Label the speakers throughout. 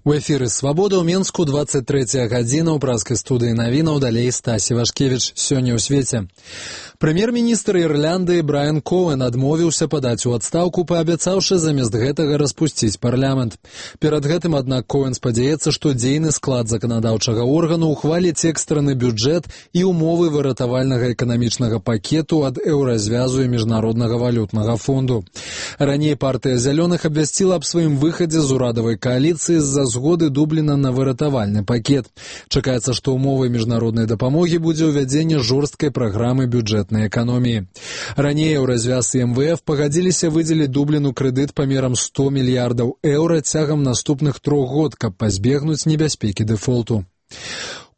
Speaker 1: У эфіры «Свабода» ў Менску 23 гадзіна ў празкай студыі навінаў, далей Стасі Вашкевіч. Сёння ў свеце. Прэм'ер-міністр Ірландыі Брайан Коуэн адмовіўся падаць у адстаўку, паабяцаўшы замест гэтага распусціць парламент. Перад гэтым, аднак, Коуэн спадзяецца, што дзейны склад заканадаўчага органу ухваліць экстраны бюджэт і умовы выратавальнага эканамічнага пакету ад еўразвязу і міжнароднага валютнага фонду. Раней партыя зялёных абвясціла аб сваім выхадзе з урадавай кааліцыі з-за згоды Дубліна на выратавальны пакет. Чакаецца, што умовай міжнароднай дапамогі будзе ўвядзенне жорсткай праграмы бюджэтнай эканоміі. Раней еўразвяз і МВФ пагадзіліся выдзеліць Дубліну крэдыт памерам 100 мільярдаў еўра цягам наступных 3 год, каб пазбегнуць небяспекі дэфолту.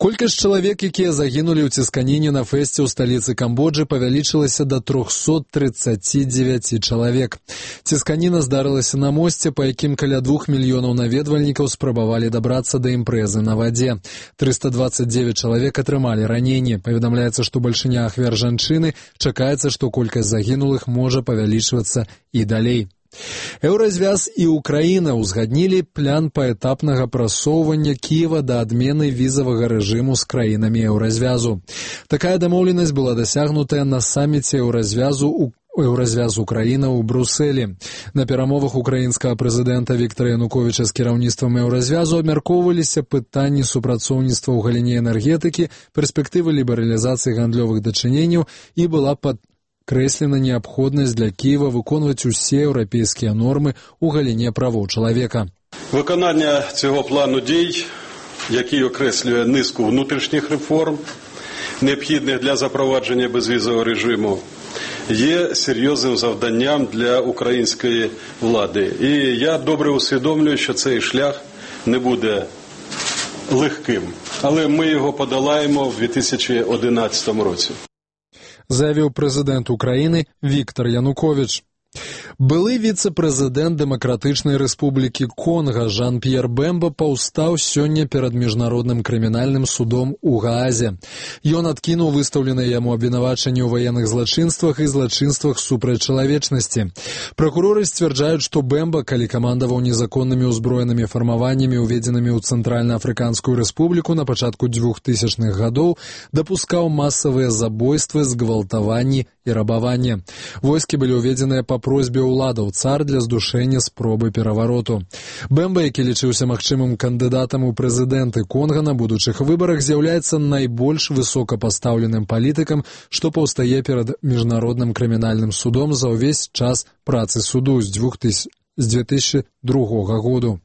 Speaker 1: Колькасць чалавек, якія загінулі ў цісканіне на фэсце ў сталіцы Камбоджы, павялічылася да 339 чалавек. Цісканіна здарылася на мосце, па якім каля 2 мільёнаў наведвальнікаў спрабавалі дабрацца да імпрэзы на вадзе. 329 чалавек атрымалі раненні. Паведамляецца, што бальшыня ахвяр жанчыны, чакаецца, што колькасць загінулых можа павялічвацца і далей. Еўразвяз і Украіна ўзгаднілі план паэтапнага прасоўвання Кіева да адмены візавага рэжыму з краінамі еўразвязу. Такая дамоўленасць была дасягнутая на саміце Еўразвяз Украіна ў Брусэлі. На перамовах украінскага прэзідэнта Віктара Януковіча з кіраўніцтвам еўразвязу абмяркоўваліся пытанні супрацоўніцтва ў галіне энергетыкі, перспектывы лібералізацыі гандлёвых дачыненняў і была крэслена неабходнасць для Кіева выконваць усе еўрапейскія нормы ў галіне правоў чалавека.
Speaker 2: Виконання цього плану дій, який окреслює низку внутрішніх реформ, необхідних для запровадження безвізового режиму, є серйозним завданням для української влади. І я добре усвідомлюю, що цей шлях не буде легким, але ми його подолаємо в 2011 році.
Speaker 1: Заявіў прэзідэнт Украіны Віктар Януковіч. Былы віцэ-прэзідэнт Дэмакратычнай Рэспублікі Конга Жан-П'ер Бэмба паўстаў сёння перад міжнародным крымінальным судом у Гаазе. Ён адкінуў выстаўленыя яму абвінавачанні ў ваенных злачынствах і злачынствах супраць чалавечнасці. Пракуроры сцвярджаюць, што Бэмба, калі камандаваў незаконнымі ўзброенымі фармаваннямі, уведзенымі ў Цэнтральна-Афрыканскую Рэспубліку на пачатку 2000-х гадоў, дапускаў масавыя забойствы, згвалтаванні і рабаванне. Войскі былі ўведзеныя па просьбе ўладаў ЦАР для здушэння спробы перавароту. Бэмба, які лічыўся магчымым кандыдатам у прэзідэнты Конга на будучых выбарах, з'яўляецца найбольш высокапастаўленым палітыкам, што паўстае перад міжнародным крымінальным судом за ўвесь час працы суду з 2002 году.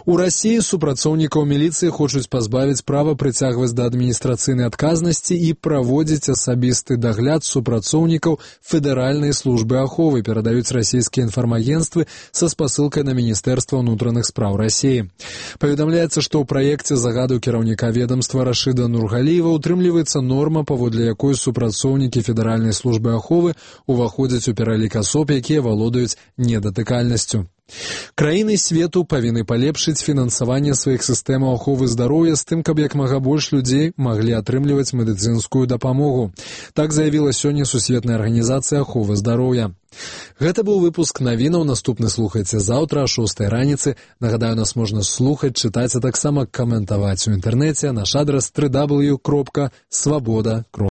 Speaker 1: У Расіі супрацоўнікаў міліцыі хочуць пазбавіць права прыцягваць да адміністрацыйнай адказнасці і праводзіць асабісты дагляд супрацоўнікаў Федэральнай службы аховы, перадаюць расійскія інфармагенцтвы са спасылкай на Міністэрства ўнутраных спраў Расіі. Паведамляецца, што ў праекце загаду кіраўніка ведамства Рашыда Нургаліева утрымліваецца норма, паводле якой супрацоўнікі Федэральнай службы аховы ўваходзяць у пералік асоб, якія валодаюць недатыкальнасцю. Краіны свету павінны палепшыць фінансаванне сваіх сістэмаў аховы здароўя з тым, каб як мага больш людзей маглі атрымліваць медыцынскую дапамогу. Так заявіла сёння Сусветная арганізацыя аховы здароўя. Гэта быў выпуск навінаў, наступны слухайце заўтра о 6 раніцы. Нагадаю, нас можна слухаць, чытаць, а таксама каментаваць у інтэрнэце. Наш адрас www.swaboda.ru